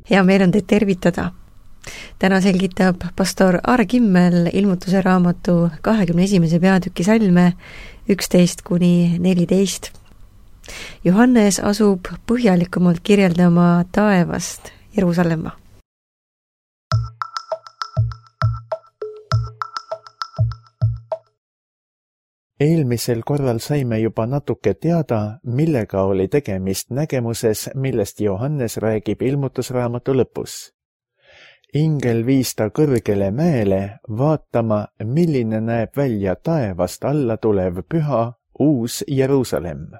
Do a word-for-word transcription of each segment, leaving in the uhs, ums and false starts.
hea meel on teid tervitada. Täna selgitab pastor Aare Kimmel ilmutuse raamatu kahekümne esimese peatüki salme üksteist kuni neliteist. Johannes asub põhjalikumalt kirjeldama taevast Jeruusalemma. Eelmisel korral saime juba natuke teada, millega oli tegemist nägemuses, millest Johannes räägib ilmutusraamatu lõpus. Ingel viis ta kõrgele mäele vaatama, milline näeb välja taevast alla tulev püha, uus Jeruusalemm.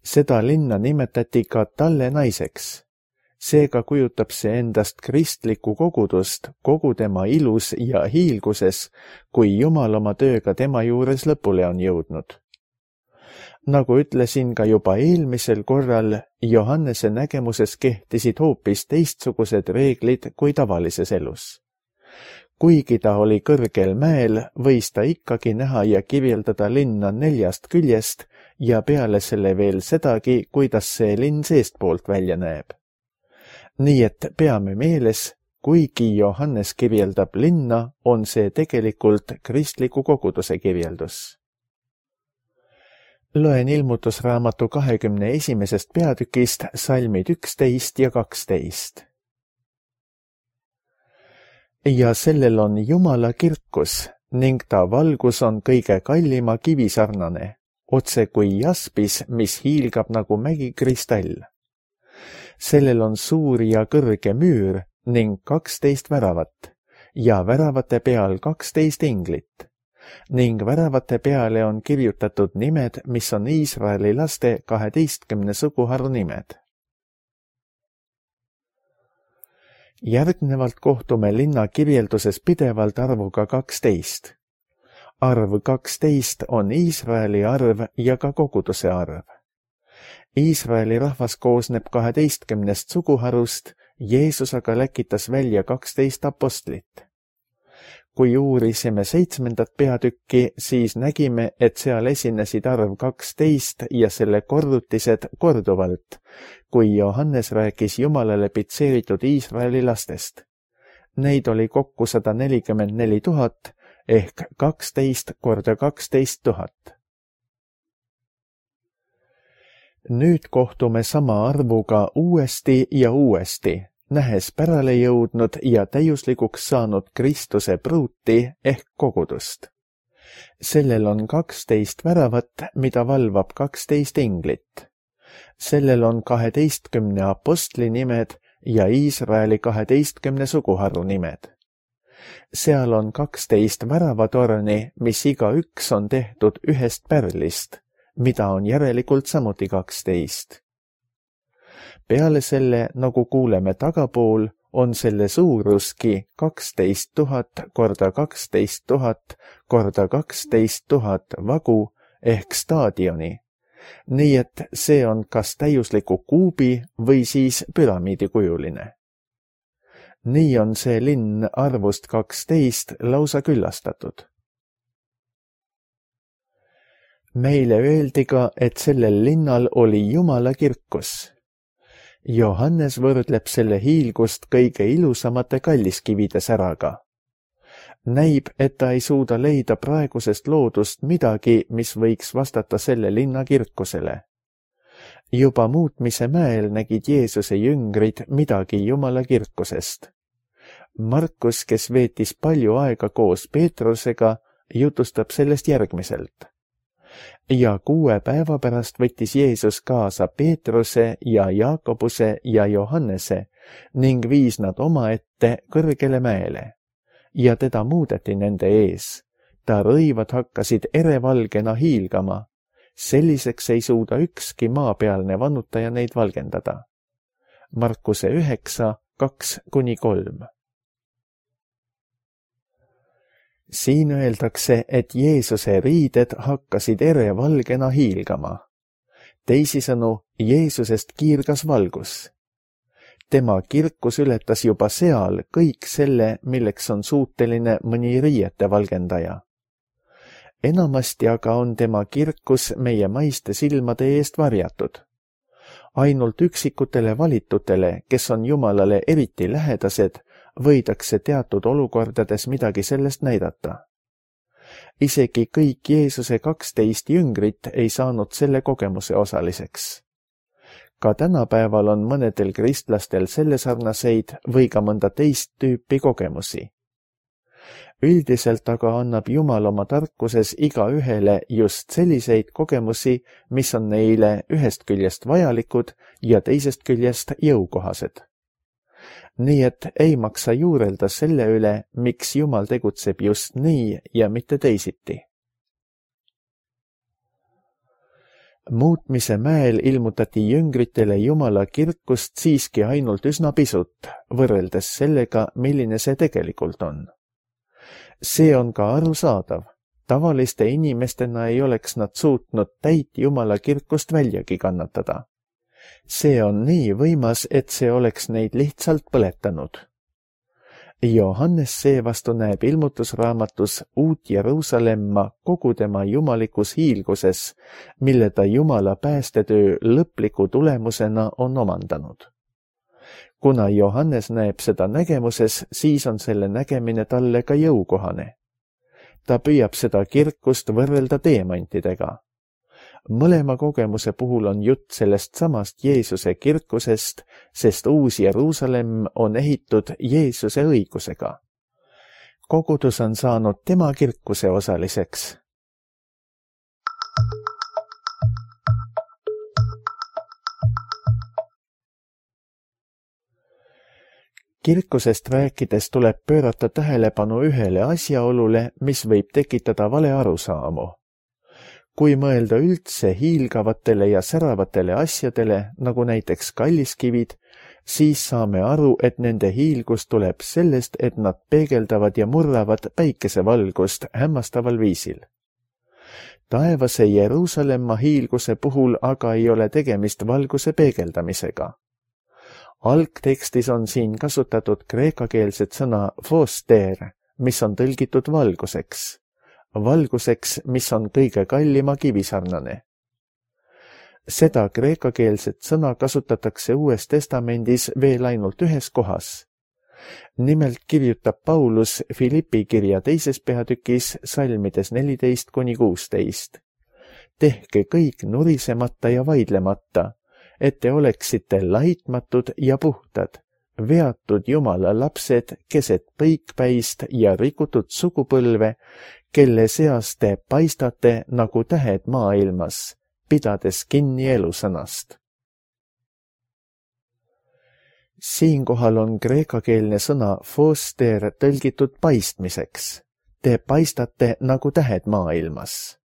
Seda linna nimetati ka talle naiseks. Seega kujutab see endast kristlikku kogudust kogu tema ilus ja hiilguses, kui Jumal oma tööga tema juures lõpule on jõudnud. Nagu ütlesin ka juba eelmisel korral, Johannese nägemuses kehtisid hoopis teistsugused reeglid kui tavalises elus. Kuigi ta oli kõrgel mäel, võis ta ikkagi näha ja kirjeldada linna neljast küljest ja peale selle veel sedagi, kuidas see linn seestpoolt välja näeb. Nii et peame meeles, kuigi Johannes kirjeldab linna, on see tegelikult kristliku koguduse kirjeldus. Loen ilmutusraamatu kahekümne esimesest peatükist salmid üksteist ja kaksteist. Ja sellel on Jumala kirkus ning ta valgus on kõige kallima kivisarnane, otse kui jaspis, mis hiilgab nagu mägikristall. Sellel on suur ja kõrge müür ning kaksteist väravat ja väravate peal kaksteist inglit ning väravate peale on kirjutatud nimed, mis on Iisraeli laste kaheteistkümne suguharu nimed. Järgnevalt kohtume linna kirjelduses pidevalt arvuga kaksteist. Arv kaksteist on Iisraeli arv ja ka koguduse arv. Iisraeli rahvas koosneb kaheteistkümnest suguharust, Jeesus aga läkitas välja kaksteist apostlit. Kui uurisime seitsmendat peatükki, siis nägime, et seal esinesid arv kaksteist ja selle korrutised korduvalt, kui Johannes rääkis Jumalale pitseeritud Iisraeli lastest. Neid oli kokku sada nelikümmend neli tuhat ehk kaksteist korda kaksteist tuhat. Nüüd kohtume sama arvuga uuesti ja uuesti, nähes pärale jõudnud ja täiuslikuks saanud Kristuse pruuti ehk kogudust. Sellel on kaksteist väravat, mida valvab kaksteist inglit. Sellel on kaheteistkümne apostli nimed ja Iisraeli kaheteistkümne suguharu nimed. Seal on kaksteist väravatorni, mis iga üks on tehtud ühest pärlist, mida on järelikult samuti kaksteist. Peale selle, nagu kuuleme tagapool, on selle suuruski kaksteist tuhat korda kaksteist tuhat korda kaksteist tuhat vagu ehk staadioni, nii et see on kas täiusliku kuubi või siis püramiidikujuline. Nii on see linn arvust kaksteist lausa küllastatud. Meile öeldi ka, et sellel linnal oli Jumala kirkus. Johannes võrdleb selle hiilgust kõige ilusamate kalliskivide säraga. Näib, et ta ei suuda leida praegusest loodust midagi, mis võiks vastata selle linna kirkusele. Juba muutmise mäel nägid Jeesuse jüngrid midagi Jumala kirkusest. Markus, kes veetis palju aega koos Peetrusega, jutustab sellest järgmiselt. Ja kuue päeva pärast võttis Jeesus kaasa Peetruse ja Jaakobuse ja Johannese ning viis nad omaette kõrgele mäele. Ja teda muudeti nende ees. Ta rõivad hakkasid erevalgena hiilgama. Selliseks ei suuda ükski maapealne vannutaja neid valgendada. Markuse üheksa, kaks kuni kolm. Siin öeldakse, et Jeesuse riided hakkasid erevalgena hiilgama. Teisisõnu, Jeesusest kiirgas valgus. Tema kirkus ületas juba seal kõik selle, milleks on suuteline mõni riiete valgendaja. Enamasti aga on tema kirkus meie maiste silmade eest varjatud. ainult üksikutele valitutele, kes on Jumalale eriti lähedased, võidakse teatud olukordades midagi sellest näidata. Isegi kõik Jeesuse kaksteist jüngrit ei saanud selle kogemuse osaliseks. Ka tänapäeval on mõnedel kristlastel selle sarnaseid või ka mõnda teist tüüpi kogemusi. Üldiselt aga annab Jumal oma tarkuses igaühele just selliseid kogemusi, mis on neile ühest küljest vajalikud ja teisest küljest jõukohased. Nii et ei maksa juurelda selle üle, miks Jumal tegutseb just nii ja mitte teisiti. Muutmise mäel ilmutati jüngritele Jumala kirkust siiski ainult üsna pisut, võrreldes sellega, milline see tegelikult on. See on ka arusaadav. Tavaliste inimestena ei oleks nad suutnud täit Jumala kirkust väljagi kannatada. See on nii võimas, et see oleks neid lihtsalt põletanud. Johannes seevastu näeb ilmutusraamatus uut Jeruusalemma kogu tema jumalikus hiilguses, mille ta Jumala päästetöö lõpliku tulemusena on omandanud. Kuna Johannes näeb seda nägemuses, siis on selle nägemine talle ka jõukohane. Ta püüab seda kirkust võrrelda teemantidega. Mõlema kogemuse puhul on jutt sellest samast Jeesuse kirkusest, sest uus Jeruusalemm on ehitud Jeesuse õigusega. Kogudus on saanud tema kirkuse osaliseks. Kirkusest rääkides tuleb pöörata tähelepanu ühele asjaolule, mis võib tekitada vale arusaamu. Kui mõelda üldse hiilgavatele ja säravatele asjadele, nagu näiteks kalliskivid, siis saame aru, et nende hiilgus tuleb sellest, et nad peegeldavad ja murravad päikesevalgust hämmastaval viisil. Taevase Jeruusalemma hiilguse puhul aga ei ole tegemist valguse peegeldamisega. Algtekstis on siin kasutatud kreekakeelset sõna foster, mis on tõlgitud valguseks. Valguseks, mis on kõige kallima kivisarnane. Seda kreekakeelset sõna kasutatakse Uues Testamendis veel ainult ühes kohas. Nimelt kirjutab Paulus Filippi kirja teises peatükis salmides neliteist kuni kuusteist. Tehke kõik nurisemata ja vaidlemata, et te oleksite laitmatud ja puhtad, veatud Jumala lapsed keset põikpäist ja rikutud sugupõlve, kelle seas te paistate nagu tähed maailmas, pidades kinni elusõnast. Siinkohal on kreekakeelne sõna foster tõlgitud paistmiseks. Te paistate nagu tähed maailmas.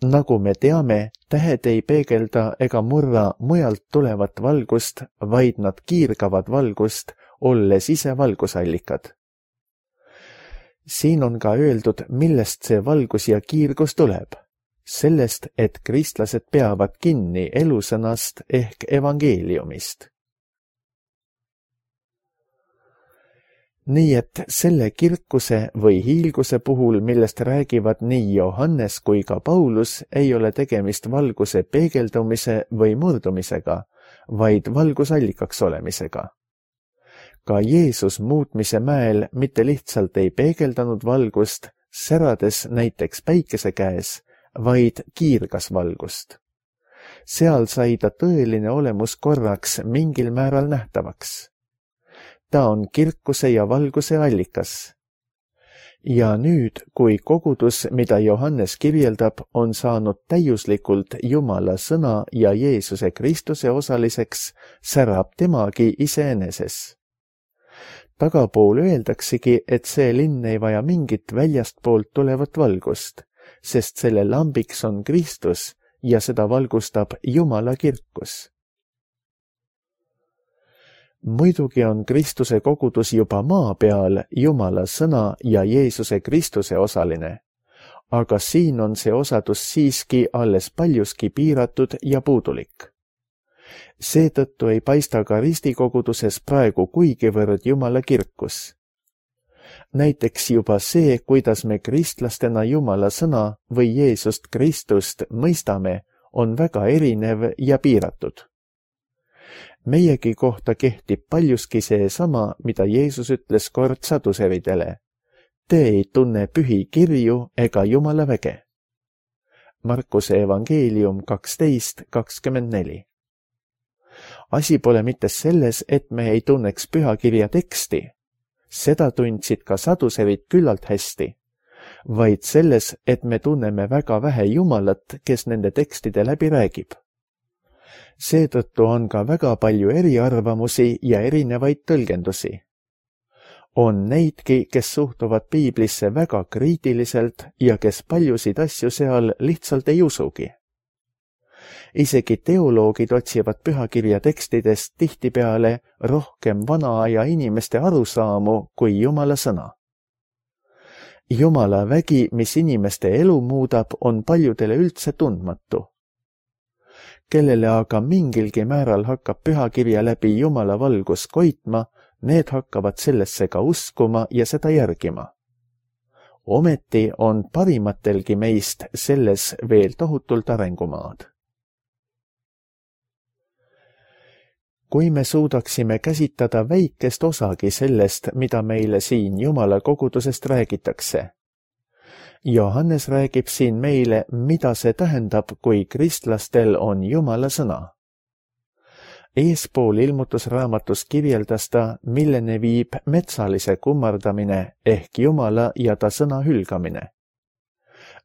Nagu me teame, tähed ei peegelda ega murra mujalt tulevat valgust, vaid nad kiirgavad valgust, olles ise valgusallikad. Siin on ka öeldud, millest see valgus ja kiirgus tuleb. Sellest, et kristlased peavad kinni elusõnast ehk evangeeliumist. Nii et selle kirkuse või hiilguse puhul, millest räägivad nii Johannes kui ka Paulus, ei ole tegemist valguse peegeldumise või murdumisega, vaid valgusallikaks olemisega. Ka Jeesus muutmise mäel mitte lihtsalt ei peegeldanud valgust, särades näiteks päikese käes, vaid kiirgas valgust. Seal sai ta tõeline olemus korraks mingil määral nähtavaks. Ta on kirkuse ja valguse allikas. Ja nüüd, kui kogudus, mida Johannes kirjeldab, on saanud täiuslikult Jumala sõna ja Jeesuse Kristuse osaliseks, särab temagi iseeneses. Tagapool öeldaksegi, et see linn ei vaja mingit väljastpoolt tulevat valgust, sest selle lambiks on Kristus ja seda valgustab Jumala kirkus. Muidugi on Kristuse kogudus juba maa peal Jumala sõna ja Jeesuse Kristuse osaline, aga siin on see osadus siiski alles paljuski piiratud ja puudulik. Seetõttu ei paista ka ristikoguduses praegu kuigivõrd Jumala kirkus. Näiteks juba see, kuidas me kristlastena Jumala sõna või Jeesust Kristust mõistame, on väga erinev ja piiratud. Meiegi kohta kehtib paljuski seesama, mida Jeesus ütles kord saduseridele. Te ei tunne pühi kirju ega Jumala väge. Markuse evangeelium kaksteist kakskümmend neli. Asi pole mitte selles, et me ei tunneks pühakirja teksti. Seda tundsid ka saduserid küllalt hästi, vaid selles, et me tunneme väga vähe Jumalat, kes nende tekstide läbi räägib. Seetõttu on ka väga palju eriarvamusi ja erinevaid tõlgendusi. On neidki, kes suhtuvad piiblisse väga kriitiliselt ja kes paljusid asju seal lihtsalt ei usugi. Isegi teoloogid otsivad pühakirja tekstidest tihtipeale rohkem vana aja inimeste arusaamu kui Jumala sõna. Jumala vägi, mis inimeste elu muudab, on paljudele üldse tundmatu. Kellele aga mingilgi määral hakkab pühakirja läbi Jumala valgus koitma, need hakkavad sellesse ka uskuma ja seda järgima. Ometi on parimatelgi meist selles veel tohutult arengumaad. Kui me suudaksime käsitada väikest osagi sellest, mida meile siin Jumala kogudusest räägitakse. Johannes räägib siin meile, mida see tähendab, kui kristlastel on Jumala sõna. Eespool ilmutusraamatus kirjeldas ta, millene viib metsalise kummardamine ehk Jumala ja ta sõna hülgamine.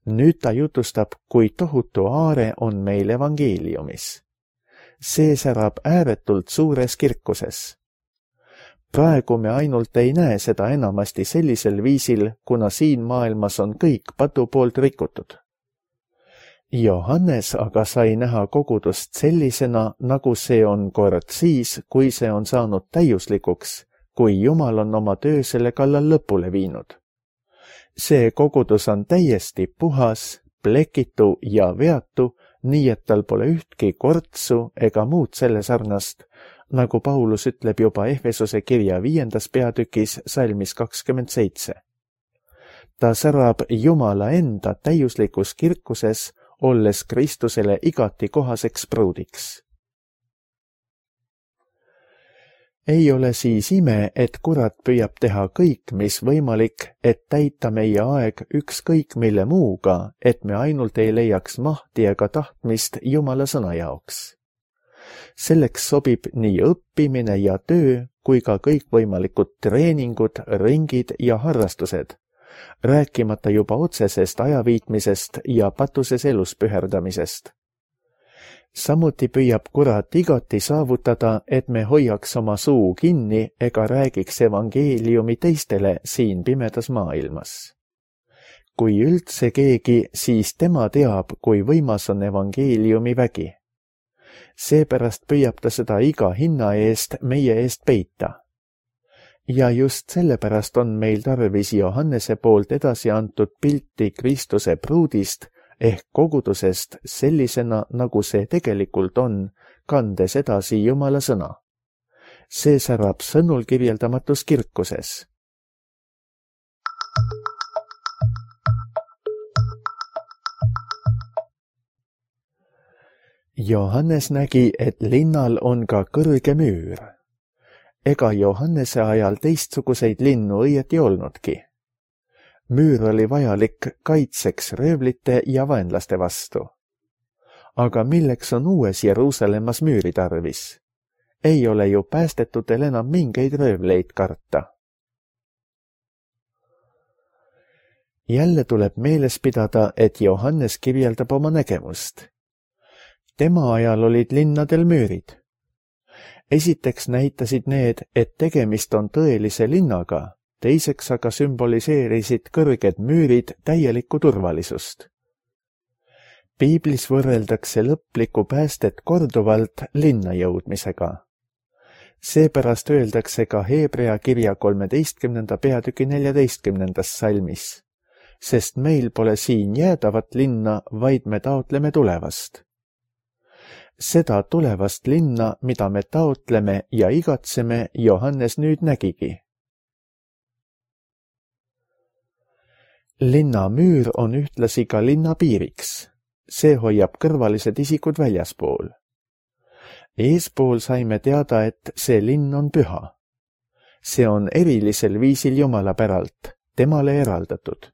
Nüüd ta jutustab, kui tohutu aare on meil evangeeliumis. See särab ääretult suures kirkuses. Praegu me ainult ei näe seda enamasti sellisel viisil, kuna siin maailmas on kõik patu poolt rikutud. Johannes aga sai näha kogudust sellisena, nagu see on kord siis, kui see on saanud täiuslikuks, kui Jumal on oma töö selle kallal lõpule viinud. See kogudus on täiesti puhas, plekitu ja veatu, nii et tal pole ühtki kortsu ega muud selle sarnast, nagu Paulus ütleb juba Efesose kirja viiendas peatükis salmis kakskümmend seitse. Ta särab Jumala enda täiuslikus kirkuses, olles Kristusele igati kohaseks pruudiks. Ei ole siis ime, et kurat püüab teha kõik, mis võimalik, et täita meie aeg ükskõik mille muuga, et me ainult ei leiaks mahti ega tahtmist Jumala sõna jaoks. Selleks sobib nii õppimine ja töö, kui ka kõikvõimalikud treeningud, ringid ja harrastused, rääkimata juba otsesest ajaviitmisest ja patuses elus püherdamisest. Samuti püüab kurat igati saavutada, et me hoiaks oma suu kinni ega räägiks evangeeliumi teistele siin pimedas maailmas. Kui üldse keegi, siis tema teab, kui võimas on evangeeliumi vägi. Seepärast püüab ta seda iga hinna eest meie eest peita. Ja just sellepärast on meil tarvis Johannese poolt edasi antud pilti Kristuse pruudist, ehk kogudusest sellisena, nagu see tegelikult on, kandes edasi Jumala sõna. See särab sõnul kirjeldamatus kirkuses. Johannes nägi, et linnal on ka kõrge müür. Ega Johannese ajal teistsuguseid linnu õieti olnudki. Müür oli vajalik kaitseks röövlite ja vaenlaste vastu. Aga milleks on uues Jeruusalemmas müüri tarvis? Ei ole ju päästetutel enam mingeid röövleid karta. Jälle tuleb meeles pidada, et Johannes kirjeldab oma nägemust. Tema ajal olid linnadel müürid. Esiteks näitasid need, et tegemist on tõelise linnaga, teiseks aga sümboliseerisid kõrged müürid täielikku turvalisust. Piiblis võrreldakse lõplikku päästet korduvalt linna jõudmisega. Seepärast öeldakse ka Hebrea kirja kolmeteistkümnenda peatüki neljateistkümnendas salmis, sest meil pole siin jäädavat linna, vaid me taotleme tulevast. Seda tulevast linna, mida me taotleme ja igatseme, Johannes nüüd nägigi. Linna müür on ühtlasi ka linna piiriks. See hoiab kõrvalised isikud väljaspool. Eespool saime teada, et see linn on püha. See on erilisel viisil Jumala päralt, temale eraldatud.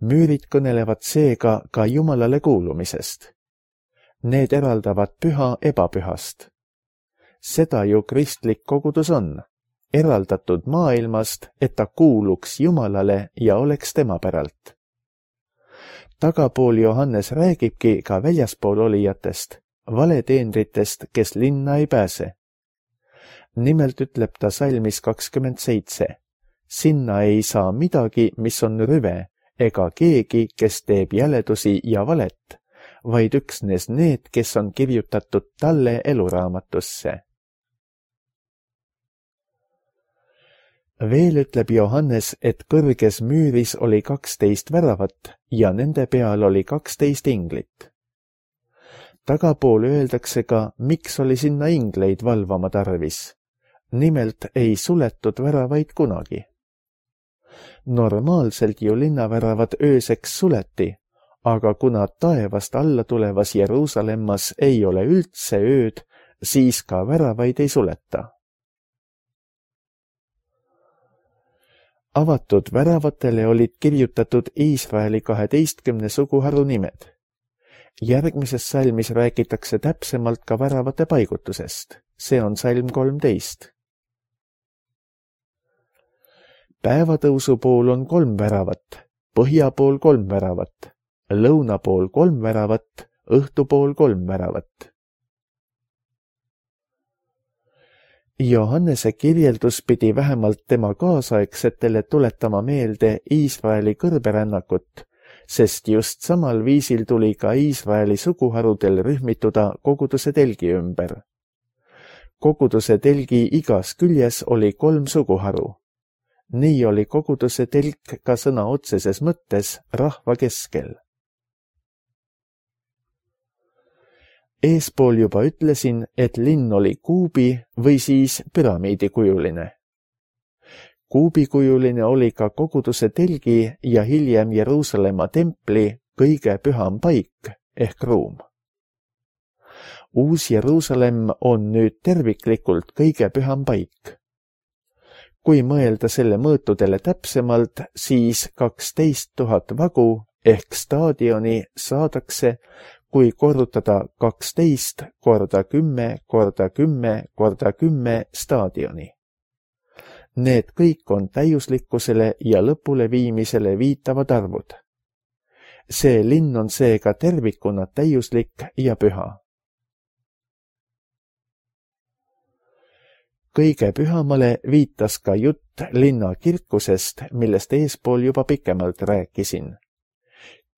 Müürid kõnelevad seega ka Jumalale kuulumisest. Need eraldavad püha ebapühast. Seda ju kristlik kogudus on, eraldatud maailmast, et ta kuuluks Jumalale ja oleks tema päralt. Tagapool Johannes räägibki ka väljaspool olijatest, valeteenritest, kes linna ei pääse. Nimelt ütleb ta salmis kakskümmend seitse. Sinna ei saa midagi, mis on rüve, ega keegi, kes teeb jäledusi ja valet, vaid üksnes need, kes on kirjutatud talle eluraamatusse. Veel ütleb Johannes, et kõrges müüris oli kaksteist väravat ja nende peal oli kaksteist inglit. Tagapool öeldakse ka, miks oli sinna ingleid valvama tarvis. Nimelt ei suletud väravaid kunagi. Normaalselt ju linnaväravad ööseks suleti, aga kuna taevast alla tulevas Jeruusalemmas ei ole üldse ööd, siis ka väravaid ei suleta. Avatud väravatele olid kirjutatud Iisraeli kaheteistkümne suguharu nimed. Järgmises salmis räägitakse täpsemalt ka väravate paigutusest. See on salm kolmteist. Päevatõusu pool on kolm väravat, põhja pool kolm väravat, lõuna pool kolm väravat, õhtu pool kolm väravat. Johannese kirjeldus pidi vähemalt tema kaasaegsetele tuletama meelde Iisraeli kõrberännakut, sest just samal viisil tuli ka Iisraeli suguharudel rühmituda koguduse telgi ümber. Koguduse telgi igas küljes oli kolm suguharu. Nii oli koguduse telk ka sõna otseses mõttes rahva keskel. Eespool juba ütlesin, et linn oli kuubi või siis püramiidikujuline. Kuubikujuline oli ka koguduse telgi ja hiljem Jeruusalemma templi kõige püham paik ehk ruum. Uus Jeruusalemm on nüüd terviklikult kõige püham paik. Kui mõelda selle mõõtudele täpsemalt, siis kaksteist tuhat vagu ehk staadioni saadakse, kui korrutada kaksteist korda kümme korda kümme korda kümme staadioni. Need kõik on täiuslikkusele ja lõpule viimisele viitavad arvud. See linn on seega tervikuna täiuslik ja püha. Kõige pühamale viitas ka jutt linna kirkusest, millest eespool juba pikemalt rääkisin.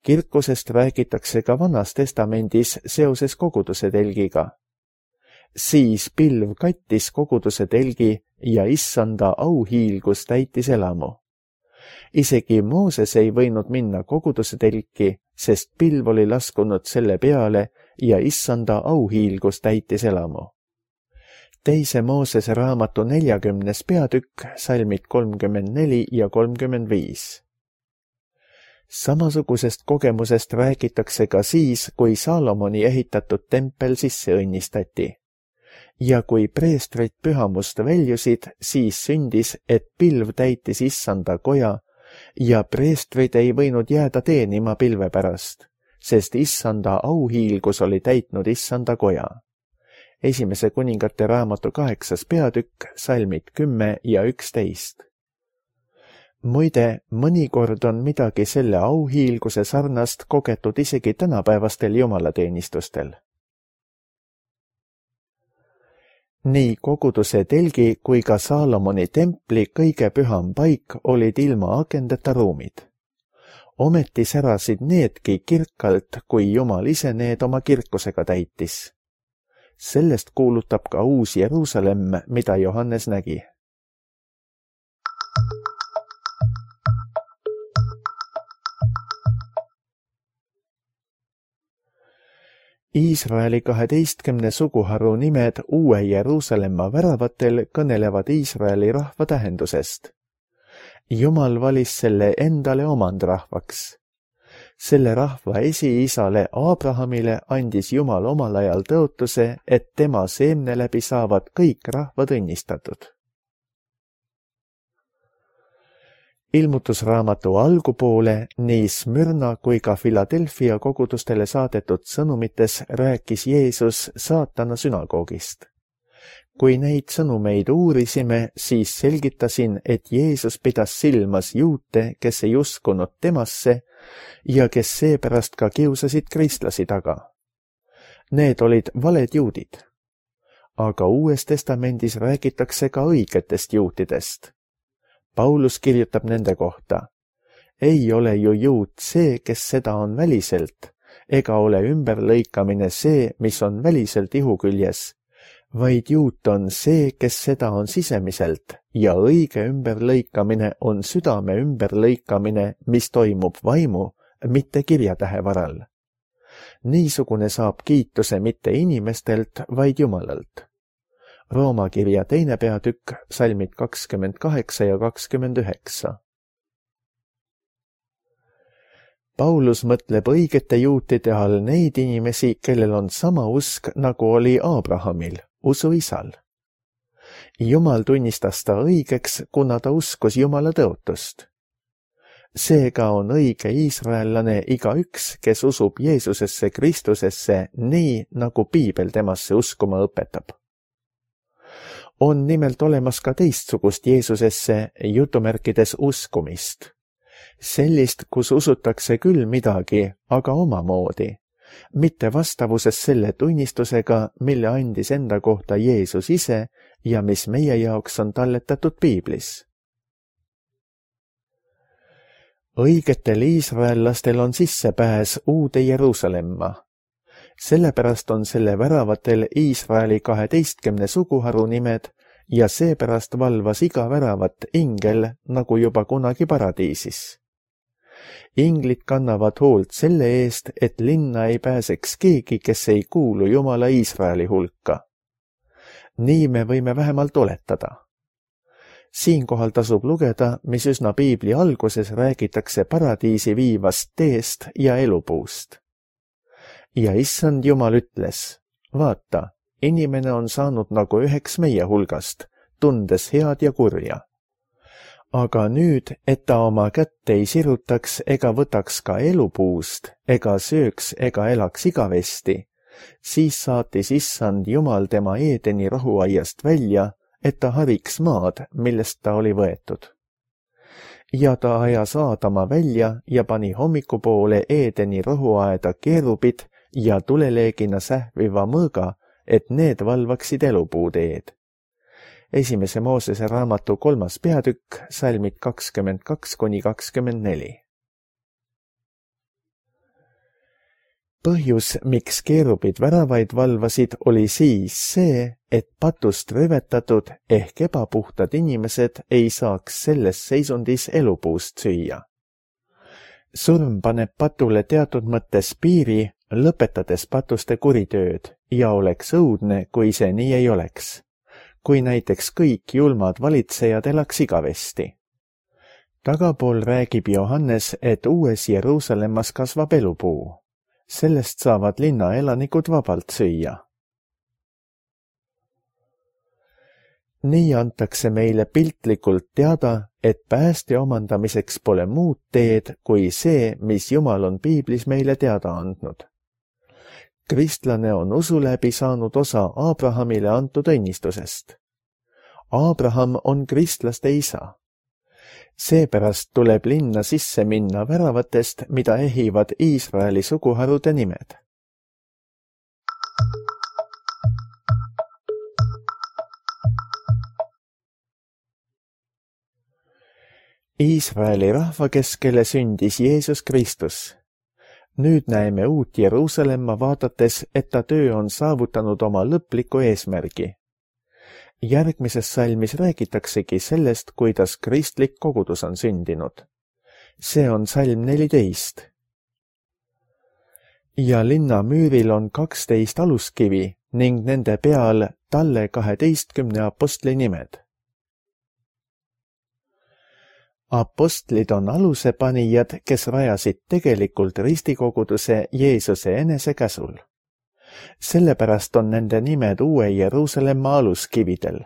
Kirkusest räägitakse ka Vanas testamendis seoses koguduse telgiga. Siis pilv kattis koguduse telgi ja issanda auhiilgus täitis elamu. Isegi Mooses ei võinud minna koguduse telki, sest pilv oli laskunud selle peale ja issanda auhiilgus täitis elamu. Teise Moosese raamatu neljakümnes peatükk, salmid kolmkümmend neli ja kolmkümmend viis. Samasugusest kogemusest räägitakse ka siis, kui Saalomoni ehitatud tempel sisse õnnistati. Ja kui preestrid pühamust väljusid, siis sündis, et pilv täitis issanda koja ja preestrid ei võinud jääda teenima pilve pärast, sest issanda auhiilgus oli täitnud issanda koja. Esimese kuningate raamatu kaheksas peatükk, salmid kümme ja üksteist. Muide, mõnikord on midagi selle auhiilguse sarnast kogetud isegi tänapäevastel jumalateenistustel. Nii koguduse telgi kui ka Saalomoni templi kõige püham paik olid ilma akendeta ruumid. Ometi särasid needki kirkalt, kui Jumal ise need oma kirkusega täitis. Sellest kuulutab ka uus Jeruusalemm, mida Johannes nägi. Iisraeli kaheteistkümne suguharu nimed uue Jeruusalemma väravatel kõnelevad Iisraeli rahva tähendusest. Jumal valis selle endale omandrahvaks. Selle rahva esiisale Abrahamile andis Jumal omal ajal tõotuse, et tema seemne läbi saavad kõik rahvad õnnistatud. Ilmutusraamatu algupoole nii Smyrna kui ka Philadelphia kogudustele saadetud sõnumites rääkis Jeesus saatana sünagoogist. Kui neid sõnumeid uurisime, siis selgitasin, et Jeesus pidas silmas juute, kes ei uskunud temasse ja kes seepärast ka kiusasid kristlasi taga. Need olid valed juudid. Aga Uues Testamendis räägitakse ka õigetest juutidest. Paulus kirjutab nende kohta. Ei ole ju juut see, kes seda on väliselt, ega ole ümberlõikamine see, mis on väliselt ihuküljes, vaid juut on see, kes seda on sisemiselt, ja õige ümberlõikamine on südame ümberlõikamine, mis toimub vaimu, mitte kirjatähe varal. Niisugune saab kiituse mitte inimestelt, vaid Jumalalt. Rooma kirja teine peatükk, salmid kakskümmend kaheksa ja kakskümmend üheksa. Paulus mõtleb õigete juutide all neid inimesi, kellel on sama usk, nagu oli Abrahamil, usuisal. Jumal tunnistas ta õigeks, kuna ta uskus Jumala tõotust. Seega on õige iisraellane igaüks, kes usub Jeesusesse Kristusesse nii, nagu Piibel temasse uskuma õpetab. On nimelt olemas ka teistsugust Jeesusesse jutumärkides uskumist. Sellist, kus usutakse küll midagi, aga omamoodi, mitte vastavuses selle tunnistusega, mille andis enda kohta Jeesus ise ja mis meie jaoks on talletatud Piiblis. Õigetel iisraellastel on sissepääs uude Jeruusalemma. Sellepärast on selle väravatel Iisraeli kaheteistkümne suguharu nimed ja seepärast valvas iga väravat ingel, nagu juba kunagi paradiisis. Inglid kannavad hoolt selle eest, et linna ei pääseks keegi, kes ei kuulu Jumala Iisraeli hulka. Nii me võime vähemalt oletada. Siinkohal tasub lugeda, mis üsna Piibli alguses räägitakse paradiisi viivast teest ja elupuust. Ja issand Jumal ütles, vaata, inimene on saanud nagu üheks meie hulgast, tundes head ja kurja. Aga nüüd, et ta oma kätt ei sirutaks ega võtaks ka elupuust, ega sööks ega elaks igavesti, siis saatis issand Jumal tema Eedeni rohuaiast välja, et ta hariks maad, millest ta oli võetud. Ja ta ajas Aadama välja ja pani hommikupoole Eedeni rohuaeda keerubid ja tuleleegina sähviva mõõga, et need valvaksid elupuuteed. Esimese Moosese raamatu kolmas peatükk, salmid kakskümmend kaks kuni kakskümmend neli. Põhjus, miks keerubid väravaid valvasid, oli siis see, et patust rüvetatud ehk ebapuhtad inimesed ei saaks selles seisundis elupuust süüa. Surm paneb patule teatud mõttes piiri, lõpetades patuste kuritööd, ja oleks õudne, kui see nii ei oleks. Kui näiteks kõik julmad valitsejad elaks igavesti. Tagapool räägib Johannes, et uues Jeruusalemmas kasvab elupuu. Sellest saavad linna elanikud vabalt süüa. Nii antakse meile piltlikult teada, et pääste omandamiseks pole muud teed kui see, mis Jumal on Piiblis meile teada andnud. Kristlane on usu läbi saanud osa Abrahamile antud õnnistusest. Abraham on kristlaste isa. Seepärast tuleb linna sisse minna väravatest, mida ehivad Iisraeli suguharude nimed. Iisraeli rahva keskele sündis Jeesus Kristus. Nüüd näeme uut Jeruusalemma vaadates, et ta töö on saavutanud oma lõpliku eesmärgi. Järgmises salmis räägitaksegi sellest, kuidas kristlik kogudus on sündinud. See on salm neliteist. Ja linna müüril on kaksteist aluskivi ning nende peal talle kaheteistkümne apostli nimed. Apostlid on alusepanijad, kes rajasid tegelikult ristikoguduse Jeesuse enese käsul. Sellepärast on nende nimed Uue Jeruusalemma aluskividel.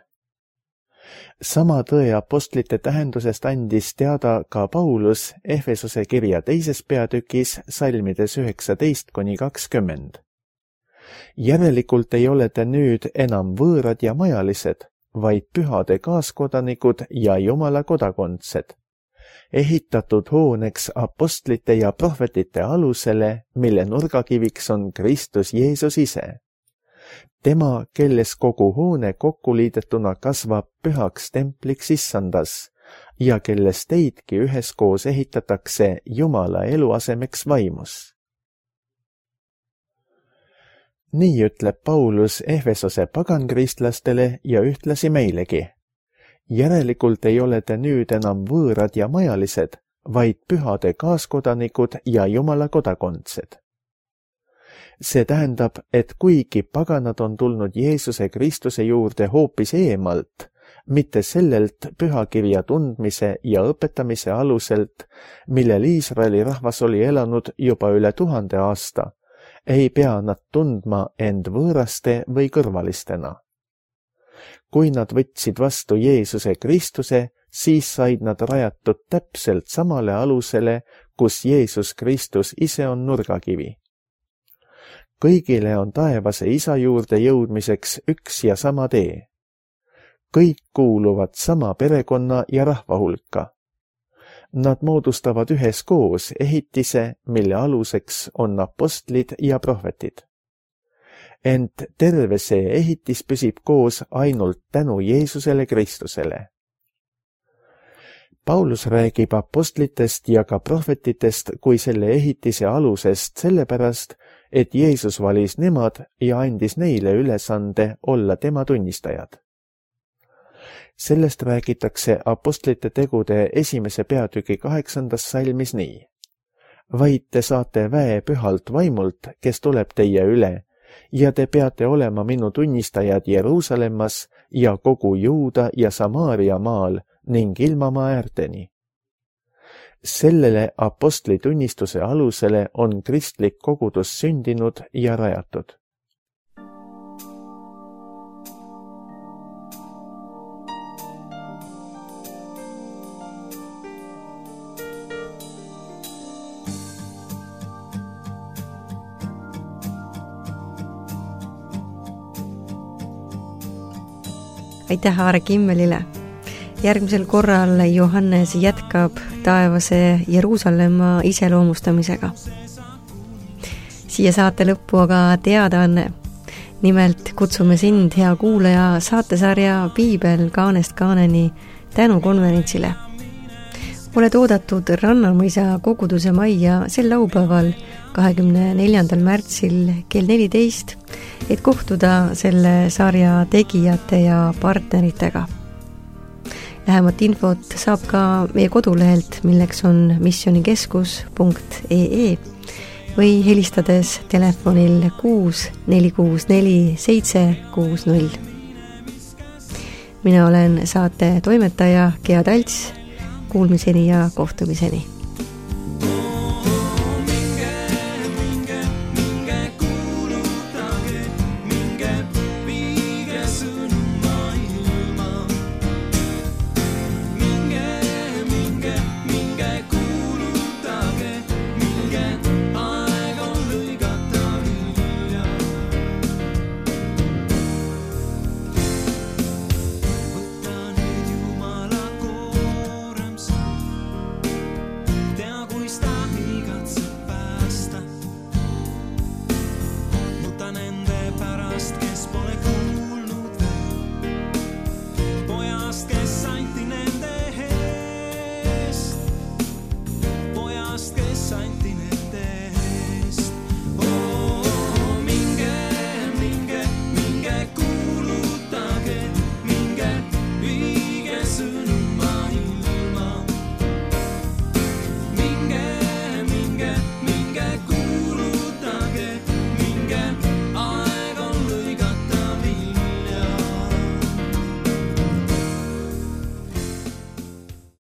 Sama tõe apostlite tähendusest andis teada ka Paulus Efesose kirja teises peatükis salmides üheksateist kuni kakskümmend. Järelikult ei ole te nüüd enam võõrad ja majalised, vaid pühade kaaskodanikud ja Jumala kodakondsed, ehitatud hooneks apostlite ja prohvetite alusele, mille nurgakiviks on Kristus Jeesus ise. Tema, kelles kogu hoone kokkuliidetuna kasvab pühaks templiks issandas ja kelles teidki üheskoos ehitatakse Jumala eluasemeks vaimus. Nii ütleb Paulus Efesose pagankristlastele ja ühtlasi meilegi. Järelikult ei ole te nüüd enam võõrad ja majalised, vaid pühade kaaskodanikud ja Jumala kodakondsed. See tähendab, et kuigi paganad on tulnud Jeesuse Kristuse juurde hoopis eemalt, mitte sellelt pühakirja tundmise ja õpetamise aluselt, millel Iisraeli rahvas oli elanud juba üle tuhande aasta, ei pea nad tundma end võõraste või kõrvalistena. Kui nad võtsid vastu Jeesuse Kristuse, siis said nad rajatud täpselt samale alusele, kus Jeesus Kristus ise on nurgakivi. Kõigile on taevase isa juurde jõudmiseks üks ja sama tee. Kõik kuuluvad sama perekonna ja rahva hulka. Nad moodustavad üheskoos ehitise, mille aluseks on apostlid ja prohvetid. Ent terve see ehitis püsib koos ainult tänu Jeesusele Kristusele. Paulus räägib apostlitest ja ka prohvetitest kui selle ehitise alusest sellepärast, et Jeesus valis nemad ja andis neile ülesande olla tema tunnistajad. Sellest räägitakse apostlite tegude esimese peatüki kaheksandas salmis nii. Vaid te saate väe pühalt vaimult, kes tuleb teie üle, ja te peate olema minu tunnistajad Jeruusalemmas ja kogu Juuda ja Samaaria maal ning ilmamaa äärteni. Sellele apostli tunnistuse alusele on kristlik kogudus sündinud ja rajatud. Aitäh Aare Kimmelile! Järgmisel korral Johannes jätkab taevase Jeruusalemma iseloomustamisega. Siia saate lõppu aga teadaanne. Nimelt kutsume sind, hea kuulaja, saatesarja Piibel kaanest kaaneni tänukonverentsile. Oled oodatud Rannamõisa koguduse majja sel laupäeval, kahekümne neljandal märtsil kell neliteist, et kohtuda selle sarja tegijate ja partneritega. Lähemat infot saab ka meie kodulehelt, milleks on missionikeskus punkt ee või helistades telefonil kuus neli kuus neli seitse kuus null. Mina olen saate toimetaja Gea Talts. Kuulmiseni ja kohtumiseni!